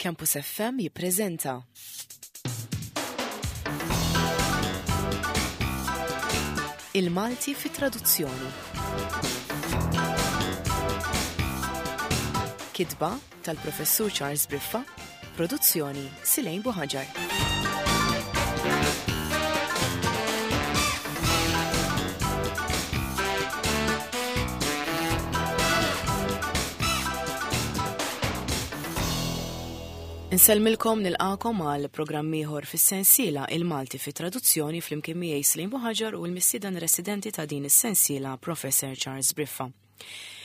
Campus FM jippreżenta. Il-Malti fi traduzzjoni. Kitba tal-Professur Charles Briffa, produzzjoni Silejn Buħaġar. Insellmilkom nilqakom għal programm ieħor fis-sensiela Il-Malti fi traduzzjoni flimkien miegħi Slim Buħaġar u l-mistieden residenti ta' din is-sensiela Professor Charles Briffa.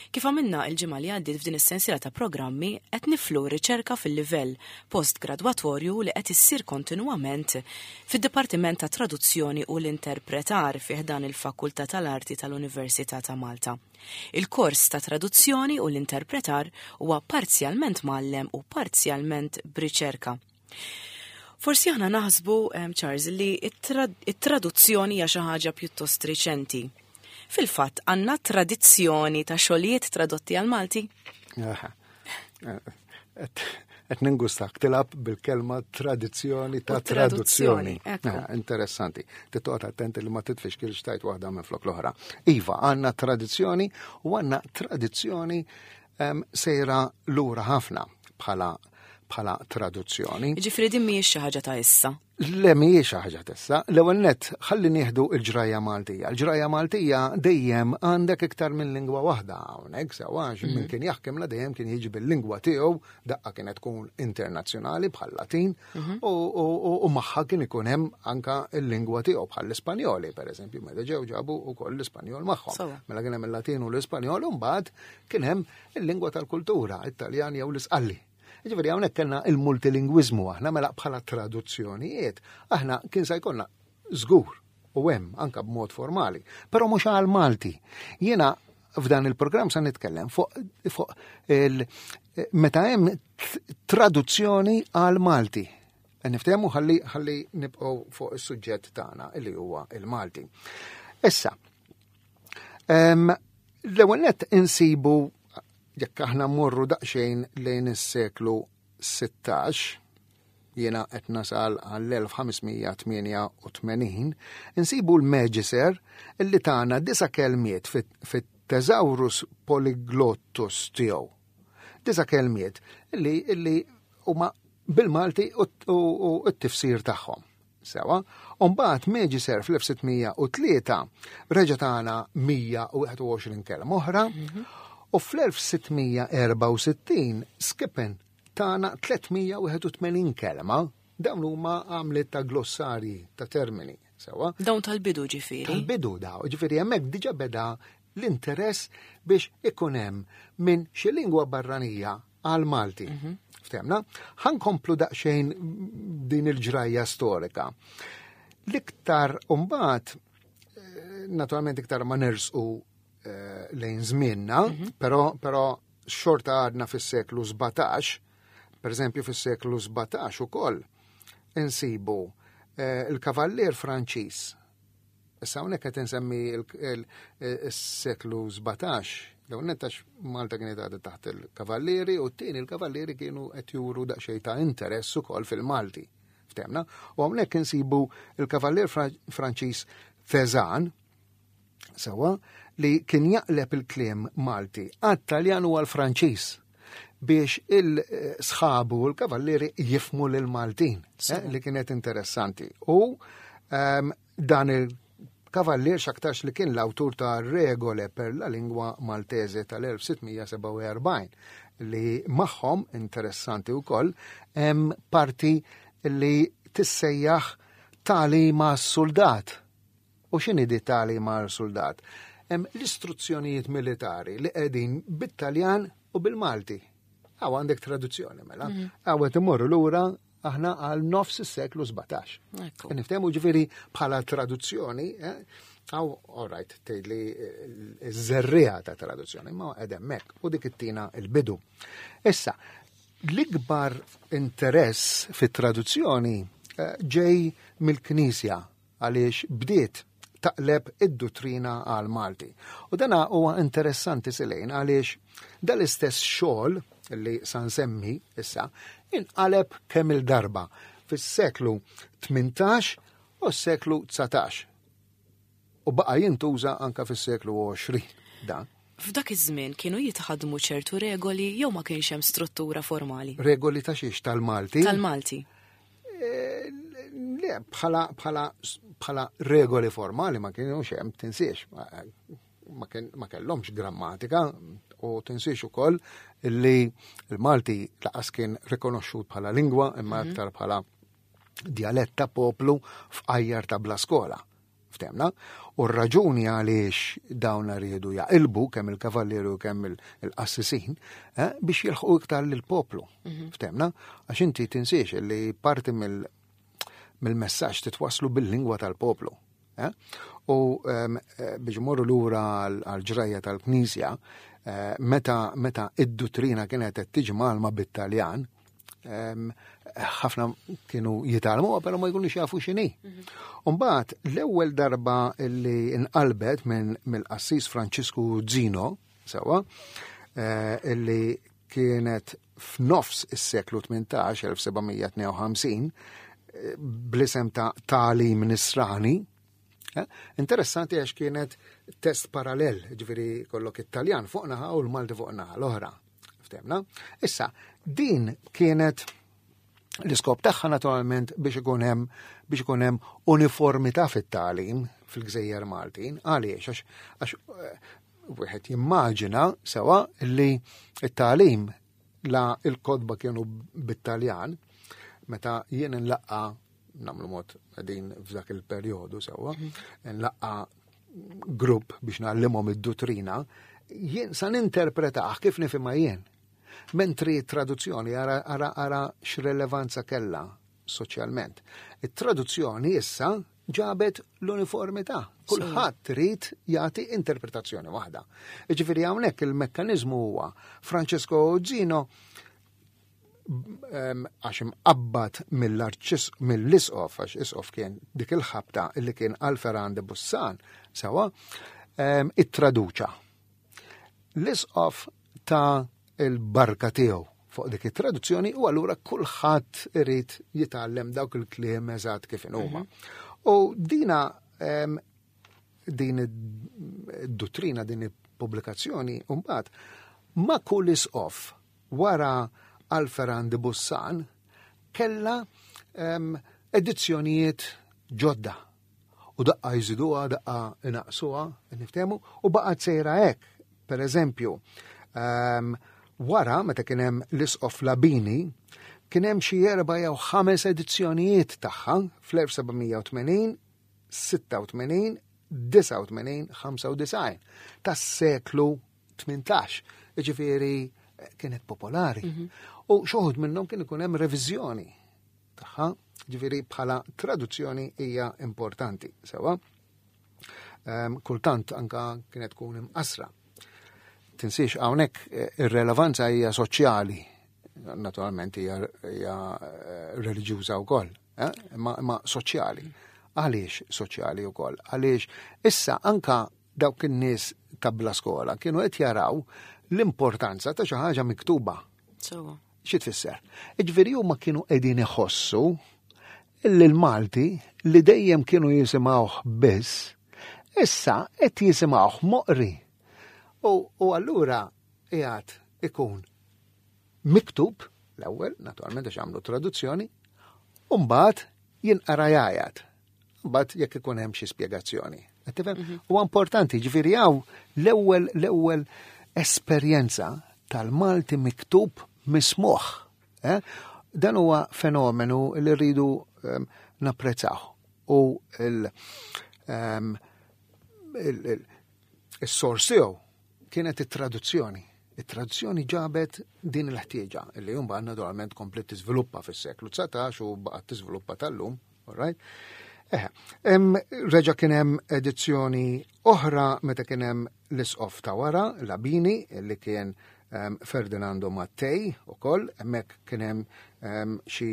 Kif għamilna il-ġimgħa li għaddiet f'din is-sensiela ta' programmi qed niflu riċerka fil-livell postgradwatorju li qed issir kontinwament fid-Dipartiment ta' Traduzzjoni u l-Interpretar fi ħdan il-Fakultà tal-Arti tal-Università ta' Malta. Il-kors ta' Traduzzjoni u l-Interpretar huwa parzjalment mgħallem u parzjalment b'riċerka. Forsi aħna naħsbu, Charles, li it-traduzzjoni hija xi ħaġa pjuttost riċenti. Fil-fatt, għandna tradizzjoni ta' xogħlijiet tradotti għal Malti? Qed ningustak tilab bil-kelma tradizzjoni ta' traduzzjoni. Interessanti. Tittoqgħod attenti li ma titfix kil xtajt waħda minn flok l-oħra. Iva, għandna tradizzjoni u għandna tradizzjoni sejra lura ħafna bħala bħala traduzzjoni. Ġifri din mhijiex xi ħaġa ta' issa. Le mhijiex xi ħaġa t'issa. L-ewwel nett ħalli nieħdu l-ġrajja Maltija. L-ġrajja Maltija dejjem għandek iktar minn lingwa waħda hawnhekk sewwa għax min mhm. kien jaħkem la dejjem kien jiġi bil-lingwa tiegħu daqqa kienet tkun internazzjonali bħal Latin mhm. u magħha kien ikun hemm anka l-lingwa tiegħu bħal l-Ispanjoli pereżempju meta ġew ġabu wkoll l-Ispanjol magħhom. Mela kien hemm il-Latin u l-Ispanjol u mbagħad kien hemm il-lingwa tal-kultura, it-Taljan jew l-Isqalli. Ġifieri hawnhekk kellna il-multilingwiżmu aħna mela bħala traduzzjonijiet, aħna kien se jkollna żgur u hemm anka b'mod formali, però mhux għal Malti. Jiena f'dan il-programm se nitkellem fuq fu il meta hemm traduzzjoni għal Malti. Niftehmu ħalli ħalli nibqgħu fuq is-suġġett tagħna li huwa il-Malti. Issa, l-ewwel nett insibu jekk aħna mmorru daqsxejn lejn is-seklu 16, jiena qed nasal għall-1588, insibu l-Magiser illi tana disa' kelmiet fit-Thesaurus Polyglottus tiegħu. Disa' kelmiet li illi huma bil-Malti u t-tifsir tagħhom. Sewa, u mbagħad Magiser fl-1603 reġa' tana 121 kelma oħra mhm. u fl-1664 Skippen tana 381 kelma dawn huma għamliet ta' glossarji ta' termini. Sewa. Dawn tal-bidu ġifieri. Tal-bidu daw, ġifieri hemmhekk diġà beda l-interess biex ikun hemm minn xi lingwa barranija għal Malti. Mhm. Ftemna? Ħankomplu daqsxejn din il-ġrajja storika. L-iktar umbat, eh, naturalment iktar ma nersqu eh, lejn żmienna, mhm. però però xorta għadna fis-seklu 17, per eżempju fis-seklu 17 ukoll insibu eh, il-kavallier Franċiż Issa hawnhekk qed insemmi s-seklu 17, l-ewwel nett għax Malta kienet għadha taħt il-kavallieri u t-tieni il-kavallieri kienu qed juru daqsxejn ta' interess ukoll fil-Malti. Ftemna? U hawnhekk insibu il-kavallier Franċiż Fezan, sewa, li kien jaqleb il-kliem Malti għat-Taljan u għall-Franċiż biex il-sħabu u l-kavallieri jifmu lil-Maltin, eh, li kienet interessanti. U ehm, dan il-kavallier xaktarx li kien l-awtur ta' Regole per la lingua Maltese tal-1647 li magħhom interessanti wkoll hemm parti li tissejjaħ tagħlima soldat. U x'inhi di tagħlima soldat? Hemm l-istruzzjonijiet militari li qegħdin bit-Taljan u bil-Malti. Għaw għandek traduzzjoni mela. Mhm. Għaw qed imorru lura aħna għal nofs is-seklu 17. Niftehmu ġifieri bħala traduzzjoni, eh, għaw, all right, tgħidli eh, żerriegħa ta' traduzzjoni, ma qed hemmhekk u dik ittina il-bidu. Issa, l-ikbar interess fit-traduzzjoni eh, ġej mill-Knisja għaliex bdiet taqleb id-duttrina għal Malti. U dana huwa interessanti silejn għaliex dal-istess xogħol li sa nsemmi issa inqaleb kemm il-darba fis-seklu 18 u s-seklu 19. U baqa' jintuża anka fis-seklu 20 dan. F'dak iż-żmien kienu jitħaddmu ċertu regoli jew ma kienx hemm struttura formali? Regoli ta' xiex tal-Malti? Tal-Malti. Eh, le, bħala, bħala, bħala regoli formali ma kienux hemm tinsiex. Ma, ma kellhomx grammatika u tinsiex ukoll li l-Malti laqas kien rikonoxxut bħala lingwa imma mhm. aktar bħala djalett ta' poplu f'qajjar ta' bla skola. Ftemna? U r-raġuni għaliex dawn riedu jaqilbu kemm il-kavallieri u kemm il-qassisin eh, biex jilħqu iktar lill-poplu. Mhm. Ftemna? Għax inti tinsiex li parti mill-messaġġ titwaslu bil-lingwa tal-poplu. Eh? U ehm, eh, biex morru lura għal-ġrajja tal-Knisja, meta meta id-duttrina kienet qed tiġi malma bit-Taljan, ħafna kienu jitalmu, pero ma jkunux jafu x'inhi. Mhm. Umbagħad l-ewwel darba li nqalbet minn mill-qassis Franċisku Zino, sewa, eh, illi kienet f'nofs is-seklu 18, 1752, eh, bl-isem ta' Talim Nisrani, eh, Interessanti għax kienet test parallel, ġviri kollok it-Taljan fuq naħa u l-Malti fuq naħa l-oħra. Ftemna? Issa, din kienet l-iskop tagħha naturalment biex ikun hemm biex ikun hemm uniformità fit-tagħlim fil-Gżejjer Maltin. Għaliex għax għax eh, wieħed jimmaġina sewa li t-tagħlim la il-kodba kienu bit-Taljan meta jien nlaqqa namlu mod din f'dak il-perjodu sewwa, mhm. nlaqqa grupp biex nagħallimhom id-duttrina, jien sa ninterpretah kif nifhimha jien. Mentri traduzzjoni ara ara ara x'relevanza kellha soċjalment. It-traduzzjoni issa ġabet l-uniformità. Kulħadd trid jagħti interpretazzjoni waħda. Jiġifieri hawnhekk il-mekkaniżmu huwa Francesco Zino għax imqabbad mill-isqof, għax isqof kien dik il-ħabta li kien Alferan de Bussan, sewa, ittraduċa. L-isqof ta' il-barka tiegħu fuq dik it-traduzzjoni u allura kulħadd irid jitgħallem dawk il-kliem eżatt kif huma. Mhm. U dina din id-duttrina, din il-pubblikazzjoni, mbagħad ma' kull isqof Wara Alferan de Bussan kellha edizzjonijiet ġodda. U daqqa jżiduha, daqqa inaqsuha, niftehmu, u baqgħet sejra hekk. Per eżempju, wara meta kien hemm l-Isqof Labini, kien hemm xi erba' jew ħames edizzjonijiet tagħha fl-1780, 86, 89, 95 tas-seklu 18, ġifieri eh, kienet popolari. Mhm. U xoħud minnhom kien ikun hemm reviżjoni tagħha, ġifieri bħala traduzzjoni hija importanti, sewa. Ehm, kultant anka kienet tkun imqasra. Tinsiex hawnhekk eh, ir-relevanza hija soċjali, naturalment hija eh, reliġjuża wkoll, imma ma soċjali. Għaliex soċjali wkoll? Għaliex issa anka dawk in-nies ta' bla skola kienu qed jaraw l-importanza ta' xi ħaġa miktuba. Sewwa. Xi tfisser? Iġifieri huma kienu qegħdin iħossu li l-Malti li dejjem kienu jisimgħuh biss, issa qed jisimgħuh moqri. U, u allura qiegħed ikun miktub l-ewwel, naturalment għax għamlu traduzzjoni, u mbagħad jinqara jgħajat. Mbagħad jekk ikun hemm xi spjegazzjoni. Qed tifhem? Mhm. Huwa importanti, ġifieri hawn l-ewwel l-ewwel esperjenza tal-Malti miktub mismuħ. Eh? Dan huwa fenomenu li rridu ehm, napprezzaw. U il- ehm, il-sors tiegħu kienet it-traduzzjoni. It-traduzzjoni ġabet din il-ħtieġa li mbagħad naturalment komplet tiżviluppa fis-seklu 19 u baqgħet tiżviluppa tal-lum, all right? Eh, reġa kien hemm edizzjoni oħra meta kien hemm l-isqof ta' wara, Labini, li kien Ferdinando Mattei ukoll, hemmhekk kien hemm xi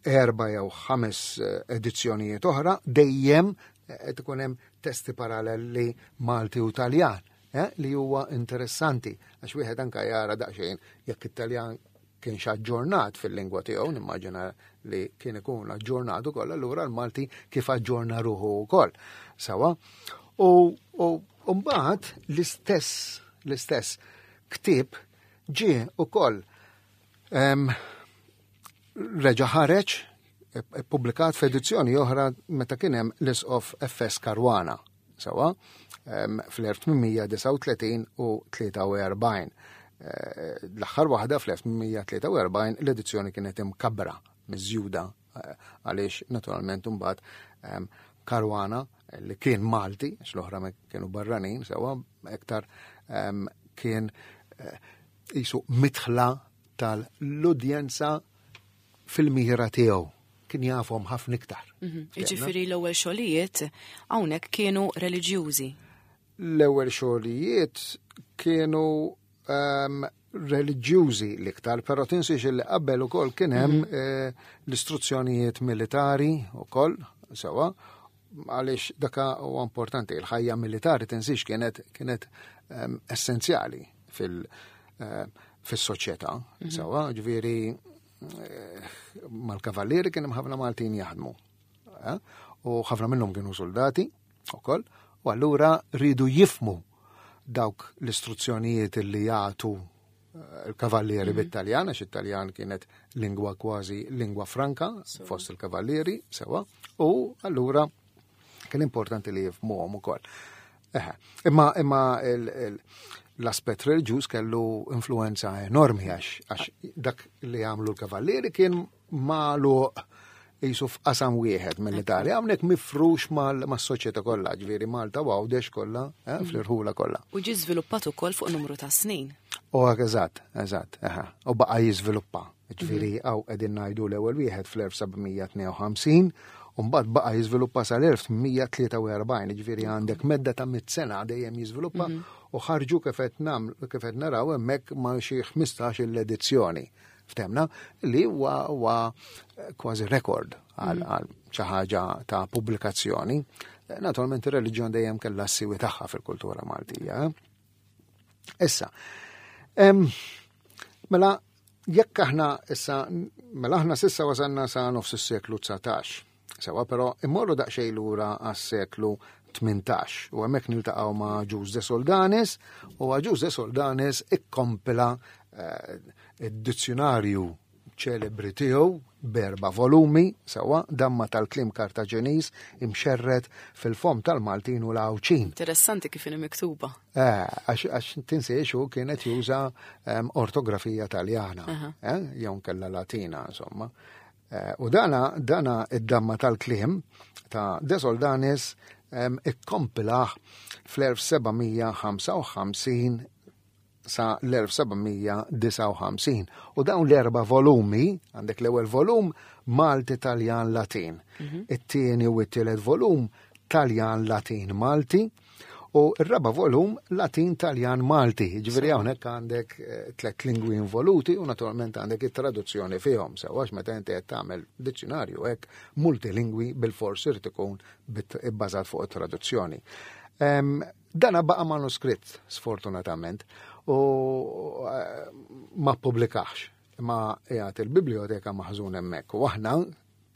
erba jew ħames eh, edizzjonijiet oħra, dejjem eh, qed ikun hemm testi paralleli Malti u Taljan. eh, li huwa interessanti għax wieħed anka jara daqsxejn jekk it-Taljan kienx aġġornat fil-lingwa tiegħu, nimmaġina li kien ikun aġġornat ukoll, allura l-Malti kif aġġorna ruħu wkoll. Sawa. U mbagħad l-istess l-istess ktieb ġie ukoll reġa' ħareġ ippubblikat f'edizzjoni oħra meta kien hemm l-Isqof FS Caruana, sewa, fl-1839 u 43. Eh, l-aħħar waħda fl-1843 l-edizzjoni kienet imkabbra, miżjuda, eh, għaliex naturalment imbagħad Caruana li kien Malti, għax l-oħra kienu barranin, sewa, iktar kien eh, jisu mitħla tal-udjenza fil-mira tiegħu kien jafhom ħafna iktar. Mhm. Jiġifieri l-ewwel xogħlijiet hawnhekk kienu reliġjużi. L-ewwel xogħlijiet kienu um, reliġjużi l-iktar, però tinsiex li qabel ukoll kien hemm mm -hmm. eh, l-istruzzjonijiet militari ukoll sewa, għaliex daka huwa importanti, il-ħajja militari tinsiex kienet kienet um, essenzjali fil- uh, fis-soċjetà, mm -hmm. sewa, ġifieri eh, mal-kavallieri kien hemm ħafna Maltin jaħdmu. Eh? U ħafna minnhom kienu soldati ukoll, u allura ridu jifmu dawk l-istruzzjonijiet li jagħtu eh, il-kavallieri mm -hmm. bit-Taljan, għax it-Taljan kienet lingwa kważi lingwa franka fost il-kavallieri, sewa, u allura kien importanti li jifmuhom ukoll. Imma imma l-aspett reliġjuż kellu influenza enormi għax dak li għamlu l-kavallieri kien magħluq jisu f'qasam wieħed mill-Italja, hawnhekk mifrux mas-soċjetà kollha, ġifieri Malta u Għawdex kollha, eh, mm. fl-irħula kollha. U ġie żviluppat ukoll fuq numru ta' snin. U eżatt, eżatt, u baqa' jiżviluppa. Ġifieri mhm. hawn qegħdin ngħidu l-ewwel wieħed fl-1752 u mbagħad baqa' jiżviluppa sal-1843, ġifieri għandek medda ta' mit sena dejjem jiżviluppa mhm. u ħarġu kif qed naraw hemmhekk ma' xi 15 l-edizzjoni. Ftemna li huwa kważi rekord għal mhm. xi ħaġa ta' pubblikazzjoni. Naturalment ir-reliġjon dejjem kellha s-siwi tagħha fil-kultura Maltija. Eh? Issa, mela jekk aħna issa, mela aħna sissa wasalna sa nofs is-seklu 19. Sewa, però immorru daqsxejn lura għas-seklu 18 u hemmhekk niltaqgħu ma' Ġuż de Soldanis u Ġuż de Soldanis ikkompila eh, id-dizzjonarju ċelebri tiegħu b'erba' volumi sewwa damma tal-kliem Kartaġeniż imxerred fil-fomm tal-Maltin u l-Għawdxin. Interessanti kif inhi miktuba. Eh, għax tinsiex hu kienet juża ehm, ortografija Taljana, eh, jew kella Latina, insomma. Eh, u dana dana id-damma tal-kliem ta' De Soldanis ehm, ikkompilah fl-1755 sa l-1759. U dawn l-erba volumi, għandek l-ewwel volum Malti Taljan Latin, mhm. it-tieni u t-tielet volum Taljan Latin Malti, u r-raba volum Latin Taljan Malti. Ġifieri hawnhekk għandek eh, tliet lingwi involuti u naturalment għandek it-traduzzjoni fihom. Sewa meta inti qed tagħmel dizzjonarju hekk multilingwi bil-fors irid ikun bbażat fuq it-traduzzjoni. Dana baqa' manuskritt, sfortunatament, u eh, ma ppubblikax. Imma qiegħed il-biblioteka maħżun hemmhekk. U aħna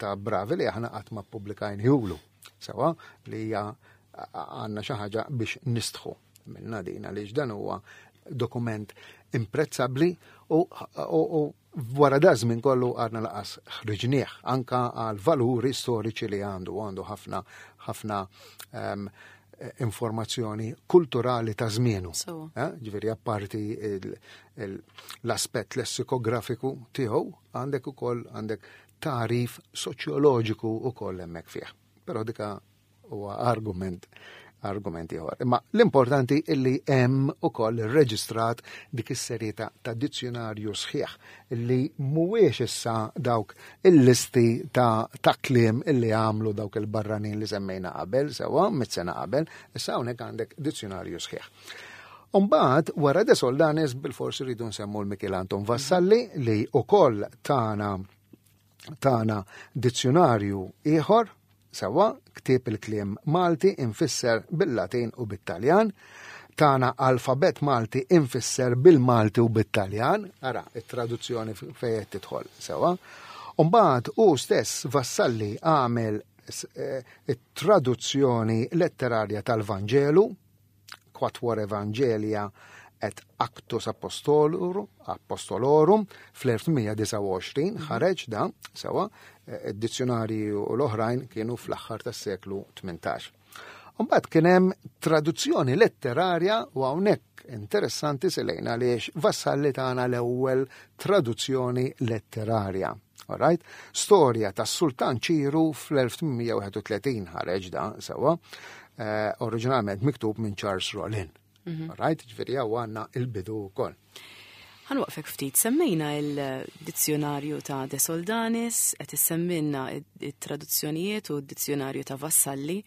ta' bravi li aħna qatt ma ppubblikajnihulu. Sewa li hija għandna xi ħaġa biex nistħu minna din għaliex dan huwa dokument imprezzabbli u, u, u Wara da żmien kollu għadna laqas ħriġnieh anka għal valuri storiċi li għandu, għandu ħafna ħafna um, informazzjoni kulturali ta' żmienu. Eh, ġifieri apparti l-aspett lessikografiku tiegħu għandek ukoll għandek tarif soċjoloġiku ukoll hemmhekk fih. Però dika huwa argument argument ieħor. Imma l-importanti illi hemm ukoll irreġistrat dik is-serje ta' dizzjonarju sħiħ illi mhuwiex issa dawk il-listi ta' ta' kliem illi għamlu dawk il-barranin li semmejna qabel, sewwa mit sena qabel, issa hawnhekk għandek dizzjonarju sħiħ. Umbagħad wara De Soldanis bil-forsi rridu nsemmu l-Mikiel Anton Vassalli li ukoll tana tana dizzjonarju ieħor Sewwa, ktieb il-kliem Malti imfisser bil-Latin u bit-Taljan. Tana alfabet Malti infisser bil-Malti u bit-Taljan, ara, it-traduzzjoni fejn qed tidħol sewa. Umbagħad hu stess Vassalli għamel eh, it-traduzzjoni letterarja tal-Vanġelu, Quatuor Evangelia et Actus Apostolorum fl-1829 ħareġ da sewa eh, id-dizzjonarji u l-oħrajn kienu fl-aħħar tas-seklu 18. Mbagħad kien hemm traduzzjoni letterarja u hawnhekk interessanti selejna għaliex Vassalli tagħna l-ewwel traduzzjoni letterarja. Alright? Storja tas-Sultan Ċiru fl-1831 ħareġ da sewa, eh, oriġinalment miktub minn Charles Rollin. Mhm. Alright? Ġifieri hawn għandna il-bidu wkoll. Ħanwaqfek ftit, semmejna il-dizzjonarju ta' De Soldanis, qed issemmilna it-traduzzjonijiet u d-dizzjonarju ta' Vassalli,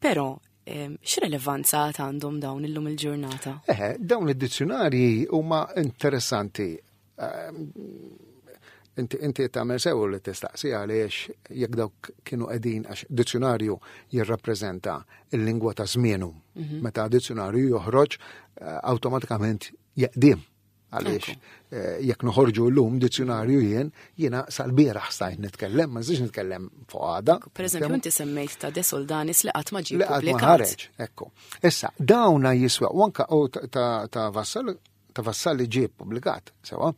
però x'relevanza għad għandhom dawn illum il-ġurnata? Eħe, dawn id-dizzjonarji huma interessanti. Inti inti tagħmel sew li tistaqsi għaliex jekk dawk kienu qegħdin għax dizzjonarju jirrappreżenta l-lingwa ta' żmienu. Mhm. Meta dizzjonarju joħroġ eh, awtomatikament jeqdim. Għaliex eh, jekk noħorġu llum dizzjonarju jien, jiena sal-bieraħ stajt nitkellem, ma nistax nitkellem fuq għada. Per eżempju, inti semmejt ta' De Soldanis li qatt ma ġie pubblikat. ħareġ, ekku. Issa, dawna jiswa, u anka ta' Vassal ta' Vassalli ġie ppubblikat, sewa.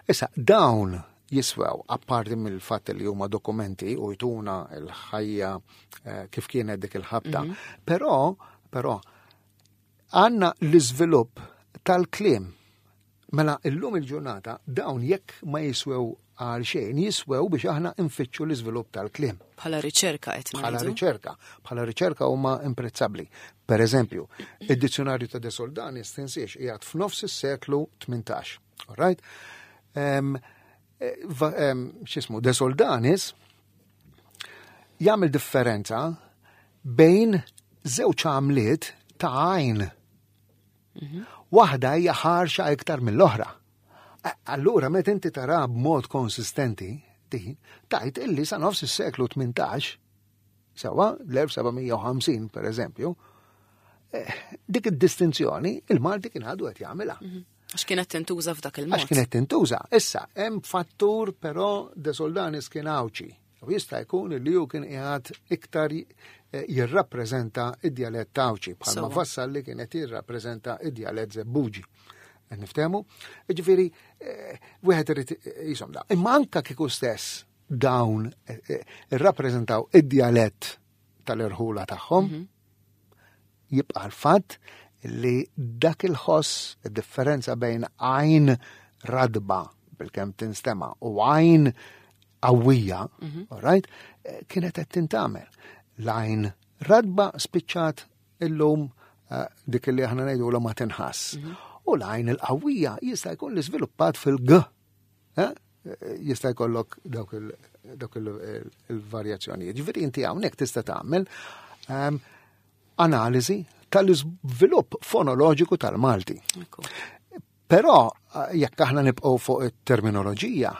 Issa, dawn jiswew, apparti mill-fatt li huma dokumenti u jtuna l-ħajja eh, kif kienet dik il-ħabta, mm -hmm. però, però, għanna l-iżvilupp tal-kliem. Mela illum il-ġurnata dawn jekk ma jiswew għal xejn jiswew biex aħna nfittxu l-iżvilupp tal-kliem. Bħala riċerka qed Bħala riċerka, bħala riċerka huma imprezzabbli. Per eżempju, id-dizzjonarju ta' De Soldanis tinsiex qiegħed f'nofs is-seklu 18. All right? X'ismu, De Soldanis jagħmel differenza bejn żewġ għamliet ta' għajn. Mhm. Waħda hija ħarxa iktar mill-oħra. Allura meta inti tara b'mod konsistenti din, tajt illi sa nofs is-seklu 18, sewa l-1750 per eżempju, eh, dik id-distinzjoni il-Malti kien għadu qed jagħmilha. Mhm. Għax kienet tintuża f'dak il-mod. Għax kienet tintuża. Issa, hemm fattur però De Soldanis kien Għawdxi. U jista' jkun li hu kien qiegħed iktar eh, jirrappreżenta id-djalett Għawdxi bħalma Vassalli kien qed jirrappreżenta id-djalett Żebbuġi. Niftehmu? Ġifieri, eh, wieħed irid jisom da. Imma anka kieku stess dawn eh, irrappreżentaw id-djalett tal-irħula tagħhom, mhm. Jibqa' l-fatt li dak il-ħoss, id-differenza bejn għajn radba bilkemm tinstema' u għajn qawwija, mhm. right, eh, kienet qed tintamel. L-għajn radba spiċċat illum eh, dik li aħna ngħidu ma tinħass. Mhm. U l-għajn il-qawwija jista' jkun li żviluppat fil-g. Eh? Jista' jkollok dawk il-varjazzjonijiet. Ġifieri inti hawnhekk tista' tagħmel ehm, analiżi tal-iżvilupp fonoloġiku tal-Malti. Però eh, jekk aħna nibqgħu fuq it-terminoloġija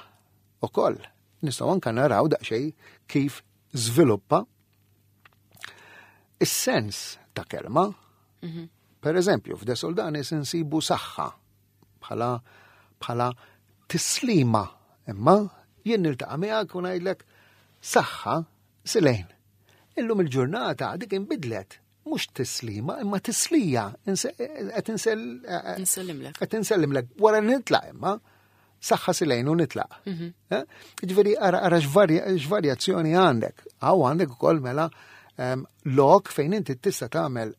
ukoll nistgħu anke naraw daqsxejn kif żviluppa is-sens ta' kelma. Mhm. Per eżempju, f'De Soldanis insibu saħħa bħala bħala tislima. Imma jien niltaqa' miegħek u ngħidlek saħħa silejn. Illum il-ġurnata dik inbidlet mhux tislima imma tislija qed insellimlek. Qed insellimlek wara nitlaq imma saħħa silejn u nitlaq. Mhm. Eh? Ġifieri ara ara x'varjazzjoni għandek. Hawn għandek ukoll mela ehm, lok fejn inti tista' tagħmel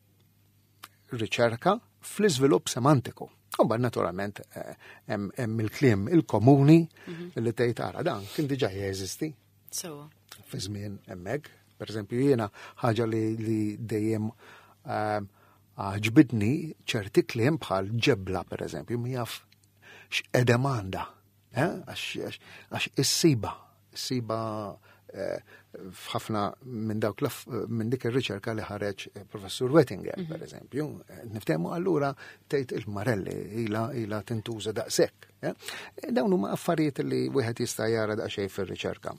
riċerka fl-iżvilupp semantiku. U mbagħad naturalment eh, hemm il-kliem il-komuni mhm. li tgħid ara dan kien diġà jeżisti. Sewa. Fi żmien hemmhekk. Per eżempju jiena ħaġa li dejjem eh, għaġbidni ċerti kliem bħal ġebla per eżempju jaf x'qedem għandha. Eh, għax issiba, issiba eh, f'ħafna minn dawk minn dik ir-riċerka li ħareġ eh, professur Wettinger, mhm. per eżempju, niftehmu allura tgħid il-marelli ila ila tintuża daqshekk. Dawn huma affarijiet li wieħed jista' jara daqsxejn fir-riċerka.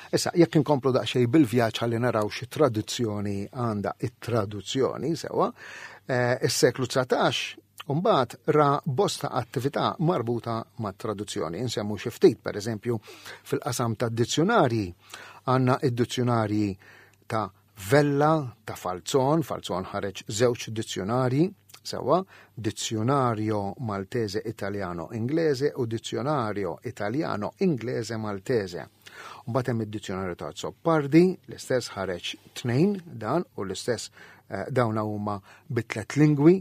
Issa, jekk inkomplu daqsxejn bil-vjaġġ ħalli naraw xi traduzzjoni għandha it-traduzzjoni sewwa, Eh, is-seklu 19 Umbagħad ra bosta attività marbuta mat-traduzzjoni. Insemmu xi ftit, pereżempju, fil-qasam ta' dizzjonarji għandna id-dizzjonarji ta' Vella, ta' Falzon, Falzon ħareġ żewġ dizzjonarji, sewwa, Dizionario Maltese Italiano Inglese u Dizionario Italiano Inglese Maltese. Mbagħad hemm id-dizzjonarju ta' Azzopardi, l-istess ħareġ tnejn dan u l-istess eh, dawn huma bi tliet lingwi,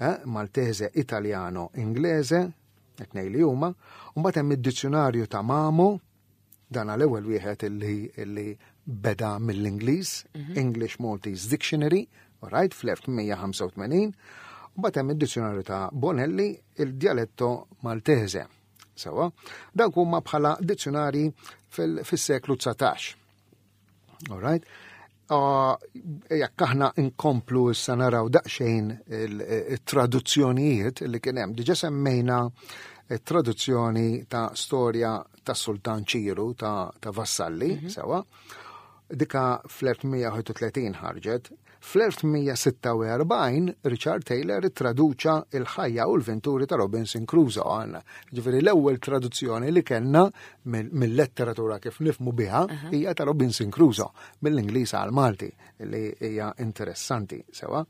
eh, Maltese, Italiano, Inglese, tnej li huma. Mbagħad hemm id-dizzjonarju ta' Mamo, dan għal ewwel wieħed illi, illi beda mill-Ingliż, mhm. English Maltese Dictionary, right, fl-1885, u mbagħad hemm id-dizzjonarju ta' Bonelli, il-dialetto Maltese. Sewa, dawk huma bħala dizzjonari fis-seklu 19. All right? Jekk aħna nkomplu issa naraw daqsxejn il-traduzzjonijiet li kien hemm, diġà semmejna traduzzjoni ta' storja ta' Sultan Ċiru ta', ta Vassalli, mm -hmm. sewa. Dika fl-1831 ħarġet. Fl-1846 Richard Taylor traduċa il-ħajja u l-venturi ta' Robinson Crusoe għandna. Ġifieri l-ewwel traduzzjoni li kellna mill-letteratura kif nifmu biha hija ta' Robinson Crusoe mill-Ingliż għal Malti li hija interessanti sewa.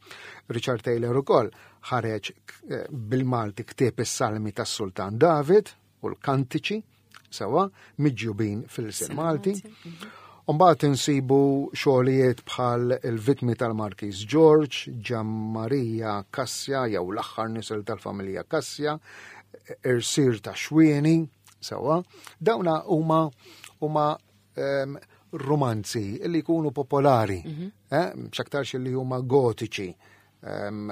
Richard Taylor ukoll ħareġ eh, bil-Malti ktieb is-Salmi tas-Sultan David u l-Kantiċi sewa miġjubin fil-lsien Malti. Umbagħad insibu xogħlijiet bħal il-vittmi tal-Markiż George, Ġammarija Kassja jew l-aħħar nisel tal-familja Kassja, Irsir ta' Xwieni, sewa. Dawna huma huma um, romanzi li jkunu popolari, mm -hmm. eh, x'aktarx li huma gotiċi. Um,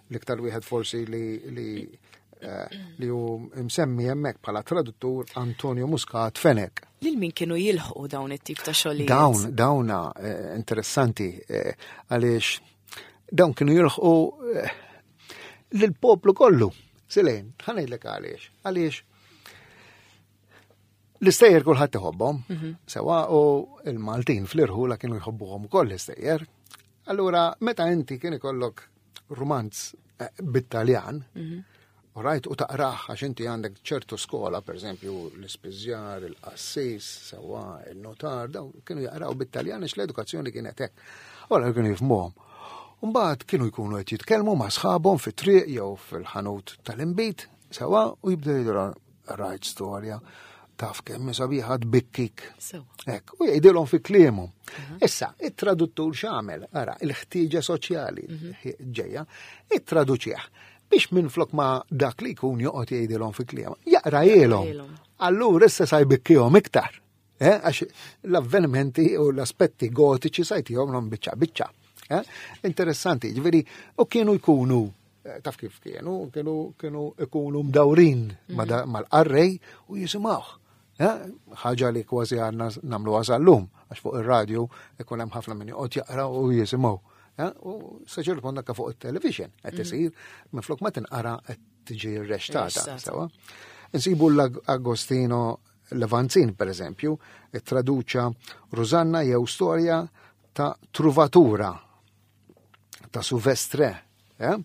l-iktar wieħed forsi li, li eh, li hu msemmi hemmhekk bħala traduttur Antonio Muscat Fenech. Lil min kienu jilħqu dawn it-tip ta' xogħlijiet? Dawn, dawna eh, interessanti eh, għaliex dawn kienu jilħqu lill-poplu kollu. Silejn, ħanejlek għaliex. Għaliex l-istejjer kulħadd iħobbhom, mhm. sewa u il-Maltin fl-irħula kienu jħobbuhom ukoll l-istejjer. Allura, meta inti kien ikollok rumanz eh, bit-Taljan, mhm. u rajt u taqraħ għax inti għandek ċertu skola, per eżempju, l-ispiżjar, il-qassis, sewa, il-notar, dawn kienu jaqraw bit-Taljan għax l-edukazzjoni kienet hekk. Ora kienu jifhmuhom. Mbagħad kienu jkunu qed jitkellmu ma' sħabhom fit-triq jew fil-ħanut tal-inbid, sewa, u jibdew jidhru rajt storja taf kemm sabiħa tbikkik. Hekk, u jgħidilhom fi kliemhom. Mhm. Issa, it-traduttur x'għamel, ara, il-ħtieġa soċjali mhm. ġejja, ittraduċih biex minflok ma dak li jkun joqgħod jgħidilhom fi kliemhom, jaqra Allura issa sa jbikkihom iktar. Eh, għax l-avvenimenti u l-aspetti gotiċi sajtihom l biċċa biċċa. Eh? Interessanti, ġifieri, u kienu jkunu eh, taf kif kienu, kienu kienu ikunu mdawrin mhm. mal-qarrej u jisimgħuh. Ħaġa li kważi għandna nagħmlu għażallum, għax fuq ir-radju ikun hemm ħafna min joqgħod jaqra u jisimgħu. U sa ċertu punt anke fuq it-television qed mhm. isir minflok ma tinqara qed tiġi rreċtata. Sewa. Insibu l-Agostino Levanzin, per eżempju, traduċa Rosanna jew storja ta' truvatura ta' Suvestre. Eh?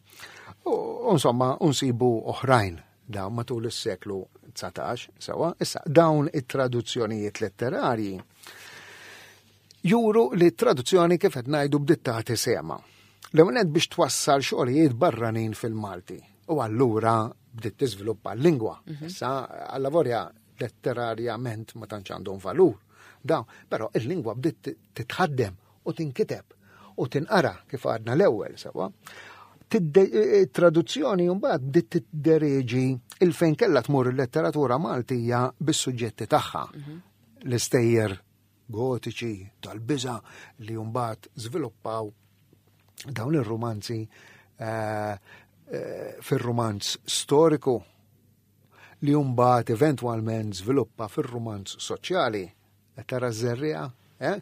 U insomma, unsibu oħrajn dawn matul is-seklu 19, sewa, issa dawn it-traduzzjonijiet letterarji juru li traduzzjoni kif qed ngħidu bdiet tagħti sema. L-ewwel biex twassal xogħlijiet barranin fil-Malti u allura bdiet tiżviluppa l-lingwa. Mhm. Issa allavorja letterarjament ma tantx għandhom valur. Dawn, però il-lingwa bdiet titħaddem u tinkiteb u tinqara kif għadna l-ewwel sewa. Traduzzjoni mbagħad bdiet tiddereġi il-fejn kellha tmur il-letteratura Maltija bis-suġġetti tagħha. Mhm. L-istejjer gotiċi tal-biża li mbagħad żviluppaw dawn ir-rumanzi eh, eh, fir-rumanz storiku li mbagħad eventwalment żviluppa fir-rumanz soċjali. Qed tara ż-żerriegħa, eh?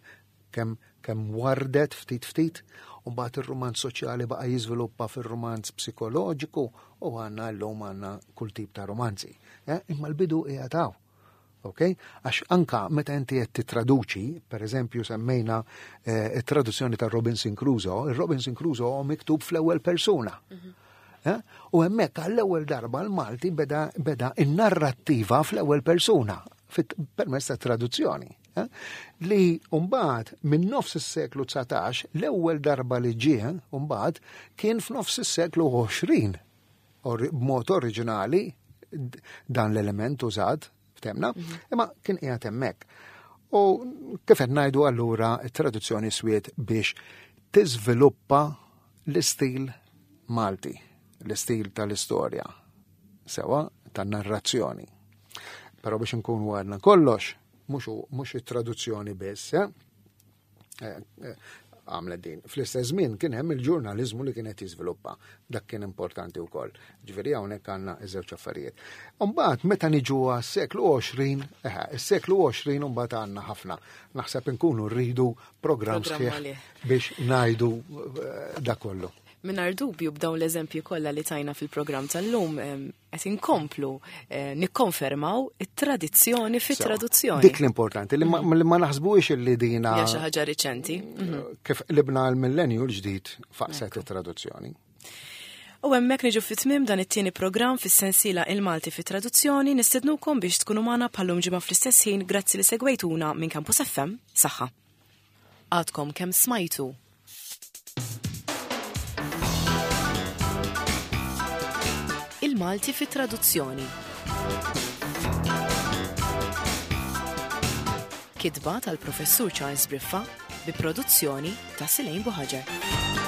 Kemm kemm wardet ftit ftit, u mbagħad ir-rumanz soċjali baqa' jiżviluppa fir-rumanz psikoloġiku u għandna llum għandna kull tip ta' romanzi. Eh? Imma l-bidu qiegħed hawn. Ok? Għax anka meta inti qed titraduċi, per eżempju semmejna eh, it-traduzzjoni ta' Robinson Crusoe, il-Robinson Crusoe hu miktub fl-ewwel persuna. Mhm. Eh? U hemmhekk għall-ewwel darba l-Malti beda, beda in-narrattiva fl-ewwel persuna permezz ta' traduzzjoni. Eh? Li mbagħad minn nofs is-seklu 19 l-ewwel darba li ġie mbagħad kien f'nofs is-seklu 20 b'mod oriġinali dan l-element użat, ftemna, mhm. imma kien qiegħed hemmhekk. U kif qed ngħidu allura t-traduzzjoni swiet biex tiżviluppa l-istil Malti, l-istil tal-istorja, sewa tan-narrazzjoni. Però biex nkunu għadna kollox, mhux it-traduzzjoni biss, eh? Eh, eh, għamlet din. Fl-istess żmien kien hemm il-ġurnaliżmu li kien qed jiżviluppa. Dak kien importanti wkoll. Ġifieri hawnhekk għandna iż-żewġ affarijiet. Imbagħad meta niġu għas-seklu 20, eh, is-seklu 20 imbagħad għandna ħafna. Naħseb inkunu rridu programm sħiħ biex ngħidu dak kollu. Mingħajr dubju b'dawn l-eżempji kollha li tajna fil-programm tal-lum qed inkomplu eh, nikkonfermaw it-tradizzjoni fit-traduzzjoni. Dik l-importanti li ma mhm. naħsbux li dina. Hija xi ħaġa riċenti. Mhm. Kif libna l-millenju l-ġdid faqset it-traduzzjoni. U hemmhekk niġu fit-tmiem dan it-tieni programm fis-sensiela Il-Malti fit-Traduzzjoni nistednukom biex tkunu magħna bħallum ġimgħa fl-istess ħin grazzi li segwejtuna minn Campus FM. Saħħa. Għadkom kemm smajtu Il-Malti fit traduzzjoni. Kitba tal-Professur Charles Briffa bi produzzjoni ta' Silejn Buħaġar.